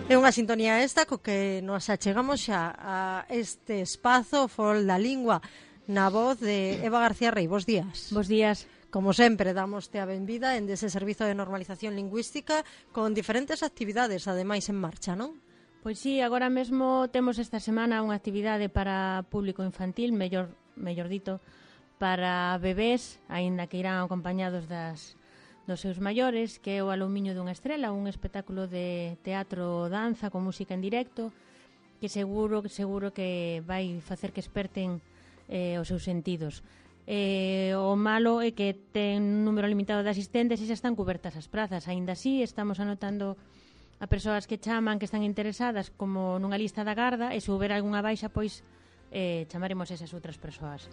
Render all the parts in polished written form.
É unha sintonía esta co que nos achegamos xa a este espazo Fol da Lingua na voz de Eva García Rey. Bos días. Bos días. Como sempre, damoste a benvida en dese servizo de normalización lingüística con diferentes actividades, ademais, en marcha, non? Pois sí, agora mesmo temos esta semana unha actividade para público infantil, mellor dito, para bebés, aínda que irán acompañados dos seus maiores, que é o Alumiño dunha estrela, un espectáculo de teatro danza con música en directo, que seguro que vai facer que esperten os seus sentidos. O malo é que ten un número limitado de asistentes e xa están cobertas as prazas. Aínda así, estamos anotando a persoas que chaman, que están interesadas, como nunha lista da garda, e se houber algunha baixa, pois chamaremos esas outras persoas.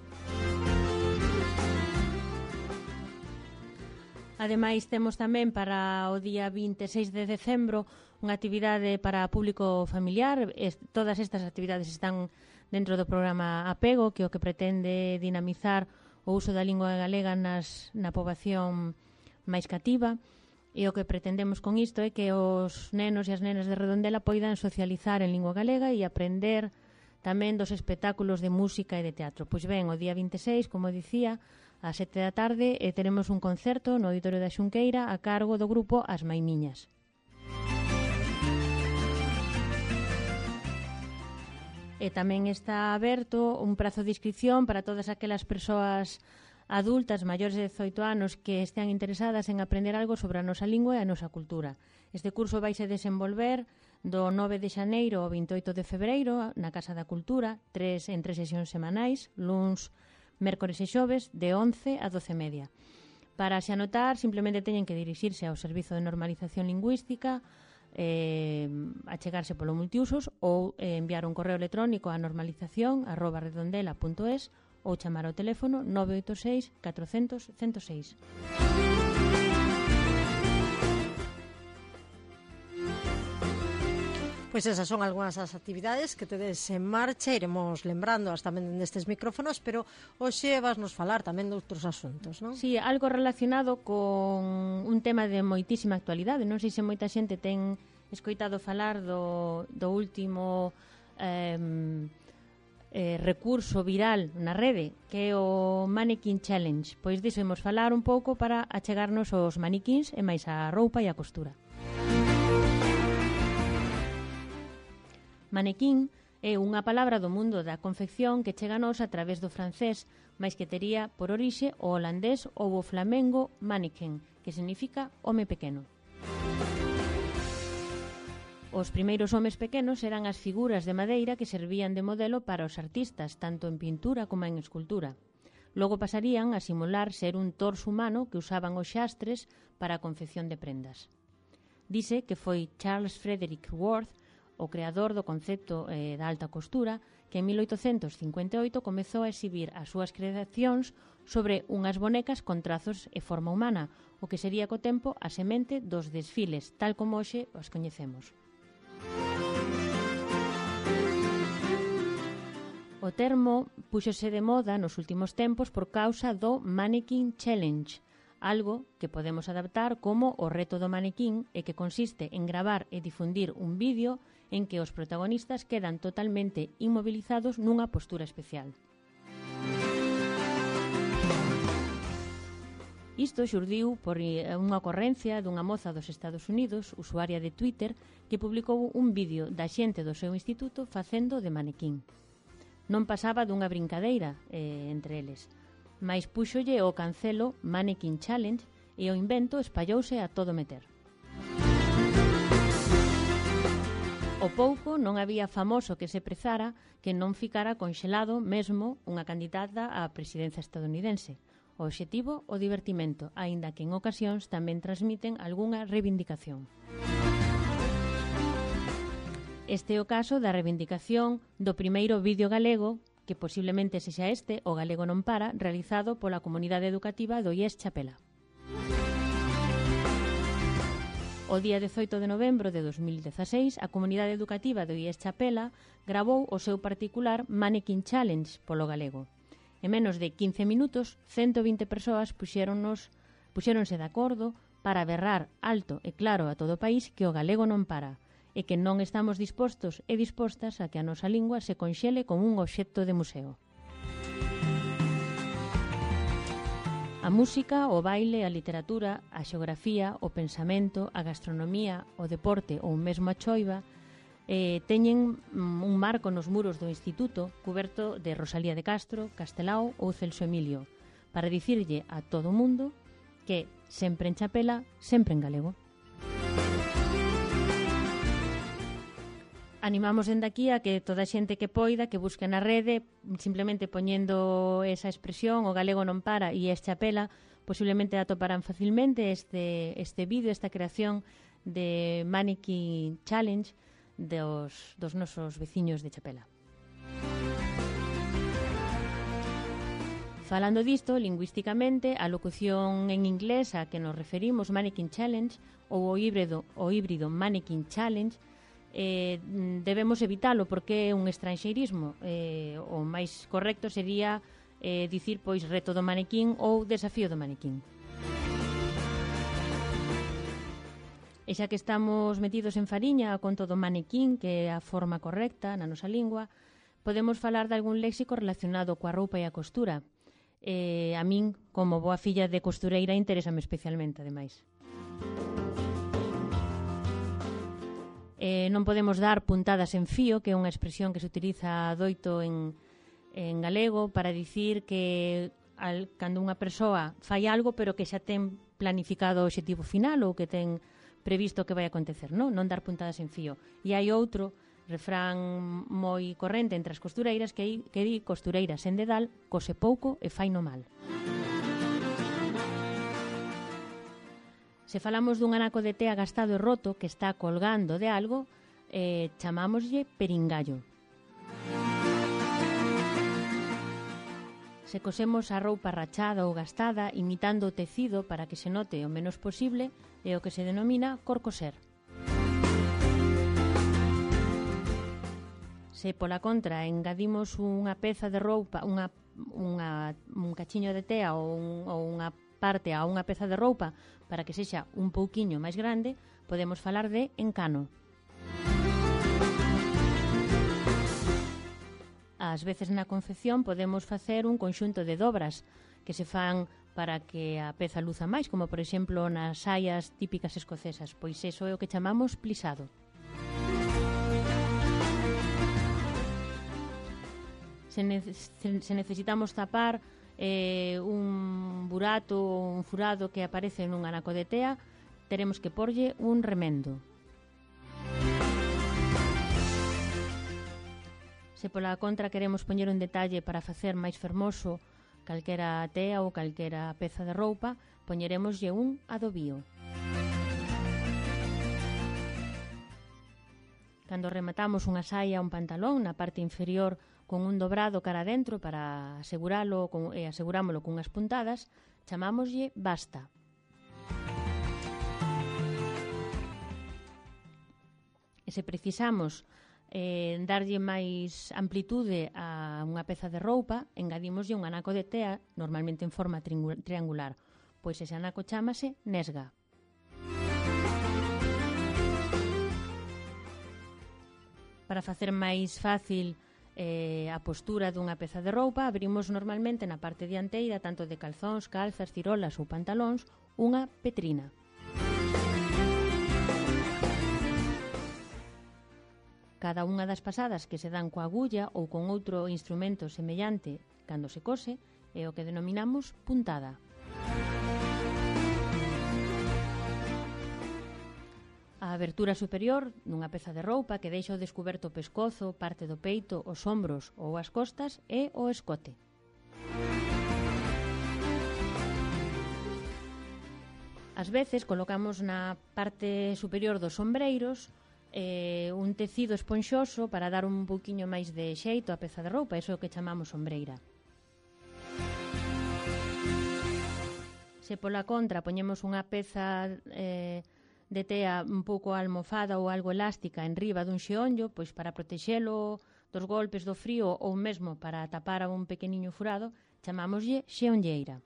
Ademais, temos tamén para o día 26 de decembro unha actividade para público familiar. Todas estas actividades están dentro do programa Apego, que é o que pretende dinamizar o uso da lingua galega na poboación máis cativa. E o que pretendemos con isto é que os nenos e as nenas de Redondela poidan socializar en lingua galega e aprender tamén dos espectáculos de música e de teatro. Pois ben, o día 26, como dicía, ás 7 da tarde teremos un concerto no Auditorio da Xunqueira a cargo do grupo As Maimiñas. E tamén está aberto un prazo de inscripción para todas aquelas persoas adultas maiores de 18 anos que estean interesadas en aprender algo sobre a nosa lingua e a nosa cultura. Este curso vaise desenvolver do 9 de xaneiro ao 28 de febreiro na Casa da Cultura, en tres sesións semanais, luns, mércores e xoves, de 11 a 12:30. Para se anotar, simplemente teñen que dirixirse ao Servizo de Normalización Lingüística, achegarse polo multiusos ou enviar un correo electrónico a normalización@redondela.es ou chamar ao teléfono 986 400 106. Pois esas son algunhas das actividades que tedes en marcha, iremos lembrándoas tamén destes micrófonos, pero hoxe vas nos falar tamén de outros asuntos, non? Sí, algo relacionado con un tema de moitísima actualidade. Non sei se moita xente ten escoitado falar do último recurso viral na rede, que é o Mannequin Challenge. Pois diso imos falar un pouco para achegarnos aos maniquíns e máis a roupa e a costura. Manequín é unha palabra do mundo da confección que chega a nós a través do francés, mais que tería por orixe o holandés ou o flamengo mannequin, que significa home pequeno. Os primeiros homes pequenos eran as figuras de madeira que servían de modelo para os artistas, tanto en pintura como en escultura. Logo pasarían a simular ser un torso humano que usaban os xastres para a confección de prendas. Dice que foi Charles Frederick Worth, o creador do concepto da alta costura, que en 1858 comezou a exhibir as súas creacións sobre unhas bonecas con trazos e forma humana, o que sería co tempo a semente dos desfiles, tal como hoxe os coñecemos. O termo púxose de moda nos últimos tempos por causa do Mannequin Challenge, algo que podemos adaptar como o reto do manequín e que consiste en gravar e difundir un vídeo en que os protagonistas quedan totalmente inmovilizados nunha postura especial. Isto xurdiu por unha ocorrencia dunha moza dos Estados Unidos, usuaria de Twitter, que publicou un vídeo da xente do seu instituto facendo de manequín. Non pasaba dunha brincadeira entre eles, mais púxolle o cancelo Mannequin Challenge e o invento espallouse a todo meter. O pouco non había famoso que se prezara que non ficara conxelado mesmo unha candidata á presidencia estadounidense. O obxectivo, o divertimento, aínda que en ocasións tamén transmiten algunha reivindicación. Este é o caso da reivindicación do primeiro vídeo galego, que posiblemente sexa este, o Galego non para, realizado pola comunidade educativa do IES Chapela. O día 18 de novembro de 2016, a comunidade educativa do IES Chapela gravou o seu particular Mannequin Challenge polo galego. En menos de 15 minutos, 120 persoas puxéronse de acordo para berrar alto e claro a todo o país que o galego non para, e que non estamos dispostos e dispostas a que a nosa lingua se conxele como un obxecto de museo. A música, o baile, a literatura, a xeografía, o pensamento, a gastronomía, o deporte ou mesmo a choiva teñen un marco nos muros do Instituto cuberto de Rosalía de Castro, Castelao ou Celso Emilio para dicirlle a todo o mundo que sempre en chapela, sempre en galego. Animamos dende aquí a que toda a xente que poida, que busque na rede, simplemente poñendo esa expresión, o galego non para e es chapela, posiblemente atoparán facilmente este vídeo, esta creación de Mannequin Challenge dos nosos veciños de Chapela. Falando disto, lingüísticamente, a locución en inglés a que nos referimos, Mannequin Challenge, ou o híbrido Mannequin Challenge, debemos evitalo porque é un estranxeirismo. O máis correcto sería dicir pois reto do manequín ou desafío do manequín. E xa que estamos metidos en fariña con todo manequín, que é a forma correcta na nosa lingua, podemos falar de algún léxico relacionado coa roupa e a costura. A min, como boa filla de costureira, interésame especialmente, ademais. Non podemos dar puntadas en fío, que é unha expresión que se utiliza doito en galego para dicir que cando unha persoa fai algo pero que xa ten planificado o obxectivo final ou que ten previsto que vai acontecer, non dar puntadas en fío. E hai outro refrán moi corrente entre as costureiras que di costureira sen dedal, cose pouco e fai no mal. Se falamos dun anaco de tea gastado e roto que está colgando de algo, chamámoslle peringallo. Se cosemos a roupa rachada ou gastada imitando o tecido para que se note o menos posible, é o que se denomina corcoser. Se pola contra engadimos unha peza de roupa, un cachiño de tea ou unha parte a unha peza de roupa para que sexa un pouquiño máis grande, podemos falar de encano. Ás veces na confección podemos facer un conxunto de dobras que se fan para que a peza luza máis, como por exemplo nas saias típicas escocesas, pois iso é o que chamamos plisado. Se necesitamos tapar un burato ou un furado que aparece nun anaco de tea, teremos que porlle un remendo. Se pola contra queremos poñer un detalle para facer máis fermoso calquera tea ou calquera peza de roupa, poñeremoslle un adobío. Cando rematamos unha saia ou un pantalón na parte inferior con un dobrado cara adentro para asegurámolo con unhas puntadas, chamámoslle basta. E se precisamos darlle máis amplitude a unha peza de roupa, engadimoslle un anaco de tea, normalmente en forma triangular, pois ese anaco chámase nesga. Para facer máis fácil a postura dunha peza de roupa, abrimos normalmente na parte dianteira, tanto de calzóns, calzas, cirolas ou pantalóns, unha petrina. Cada unha das pasadas que se dan coa agulla ou con outro instrumento semellante cando se cose é o que denominamos puntada. A abertura superior dunha peza de roupa que deixa ao descuberto o pescozo, parte do peito, os ombros ou as costas é o escote. Ás veces colocamos na parte superior dos ombreiros un tecido esponxoso para dar un pouquiño máis de xeito á peza de roupa, iso é o que chamamos ombreira. Se pola contra poñemos unha peza de tea un pouco almofada ou algo elástica en riba dun xeonllo, pois para protexelo dos golpes do frío ou mesmo para tapar a un pequeniño furado, chamámoslle xeonlleira.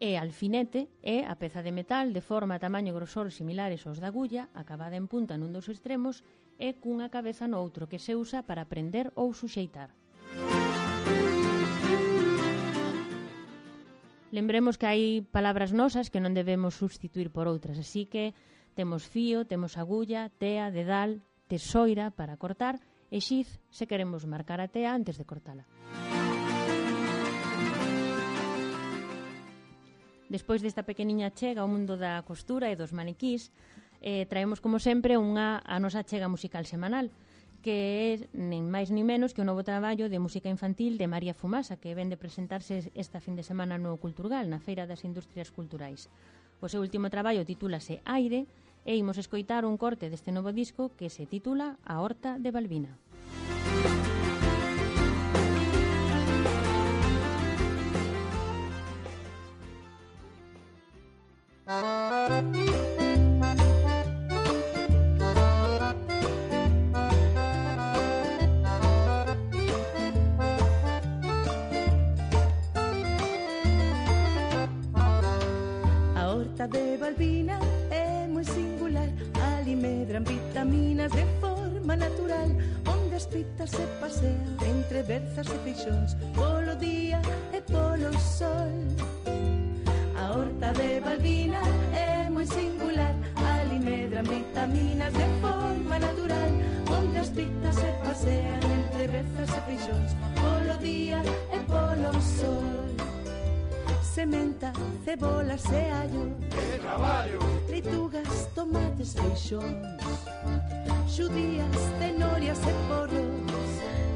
E alfinete é a peza de metal de forma, tamaño e grosor similares aos da agulla, acabada en punta nun dos extremos e cunha cabeza no outro, que se usa para prender ou suxeitar. Lembremos que hai palabras nosas que non debemos substituir por outras, así que temos fío, temos agulla, tea, dedal, tesoira para cortar e xiz se queremos marcar a tea antes de cortala. Despois desta pequeniña chega ao mundo da costura e dos maniquís, traemos como sempre a nosa chega musical semanal, que é nin máis nin menos que o novo traballo de música infantil de María Fumasa, que ven de presentarse esta fin de semana no Culturgal, na Feira das Industrias Culturais. O seu último traballo titúlase Aire e imos escoitar un corte deste novo disco que se titula A Horta de Balbina. A horta de Balbina é moi singular, ali medran vitaminas de forma natural, onde as pitas se pasean entre berzas e feixóns, polo día e polo sol. A horta de Balbina é moi singular, ali medran vitaminas de forma natural, onde as pitas se pasean entre berzas e feixóns, polo día e polo sol. Sementa, cebolas e allo, ¡qué traballo! leitugas, tomates, feixóns, xudías, cenorias e porros,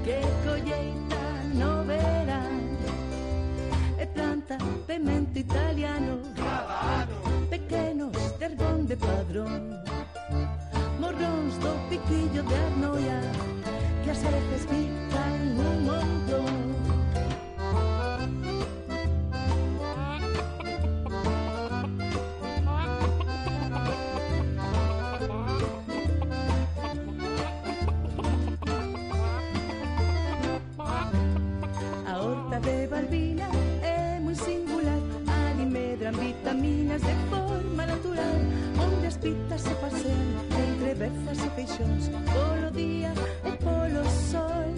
que colleita no verán. E planta pemento italiano, Cada ano, pequenos de Herbón de Padrón, morróns do piquillo de Arnoia, que as veces pican un montón. A horta de Balbina é moi singular, ali medran vitaminas de forma natural, onde as pitas se pasean entre berzas e feixóns, polo día e polo sol.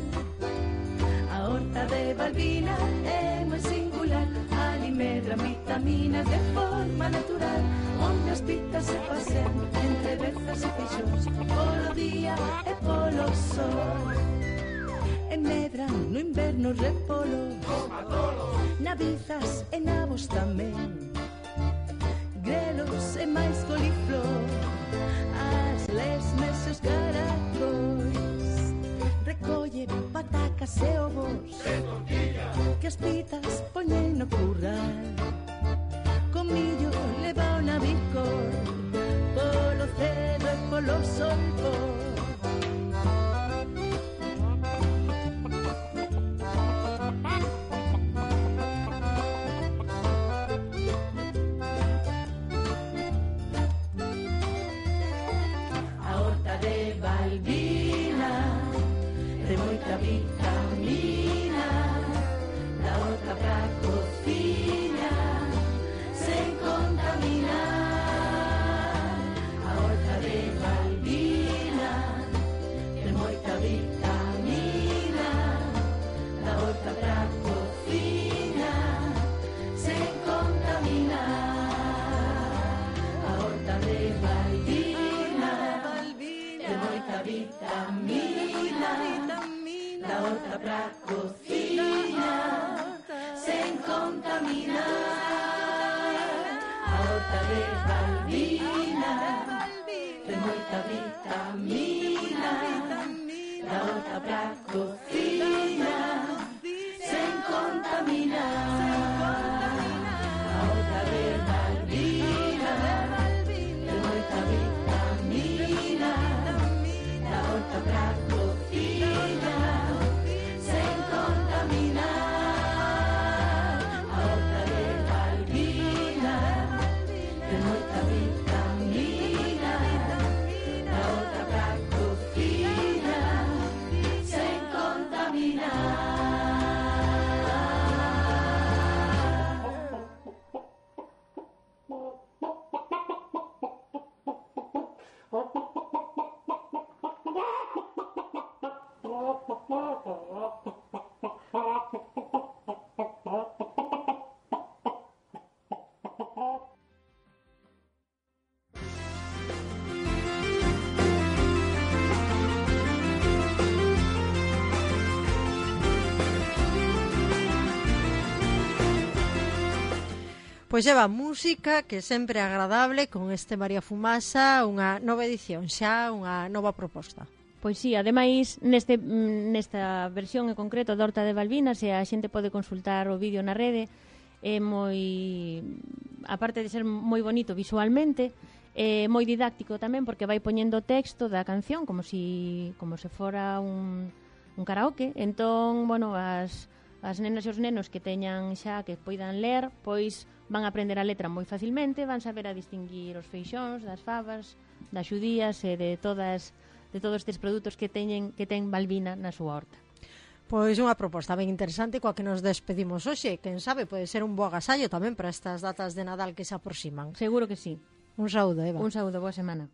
A horta de Balbina é moi singular, ali medran vitaminas de forma natural, onde as pitas se pasean entre berzas e feixóns, polo día e polo sol. E medran no inverno repolo, nabizas e nabos tamén, grelos e máis coliflor, as lesmes e os caracóis, recolle patacas e ovos, que as pitas poñen no curral, con millo leva o navicor, polo cedo e polo solpor. Balbina, de moita vitamina, da horta pra cociña, sen contaminar. A horta de Balbina, de moita vitamina, da horta pra cociña, sen contaminar. A horta de Balbina, de moita vitamina, da horta pra cociña, sen contaminar. A horta de Balbina, de moita vitamina, da horta pra cociña, sen contaminar. A horta de Balbina, de moita vitamina, da horta pra cociña, sen contaminar. A horta de Balbina, de moita vitamina. Pois lleva música que sempre é agradable con este María Fumasa, unha nova edición, xa unha nova proposta. Pois sí, ademais nesta versión en concreto da Horta de Balbinas, e a xente pode consultar o vídeo na rede, é moi, aparte de ser moi bonito visualmente, é moi didáctico tamén porque vai poñendo texto da canción como se fora un karaoke. Entón, bueno, as nenas e os nenos que teñan xa que poidan ler, pois van a aprender a letra moi facilmente, van saber a distinguir os feixóns, das favas, das xudías e de todos estes produtos que ten Balbina na súa horta. Pois unha proposta ben interesante coa que nos despedimos hoxe. Quen sabe, pode ser un bo agasallo tamén para estas datas de Nadal que se aproximan. Seguro que sí. Un saúdo, Eva. Un saúdo, boa semana.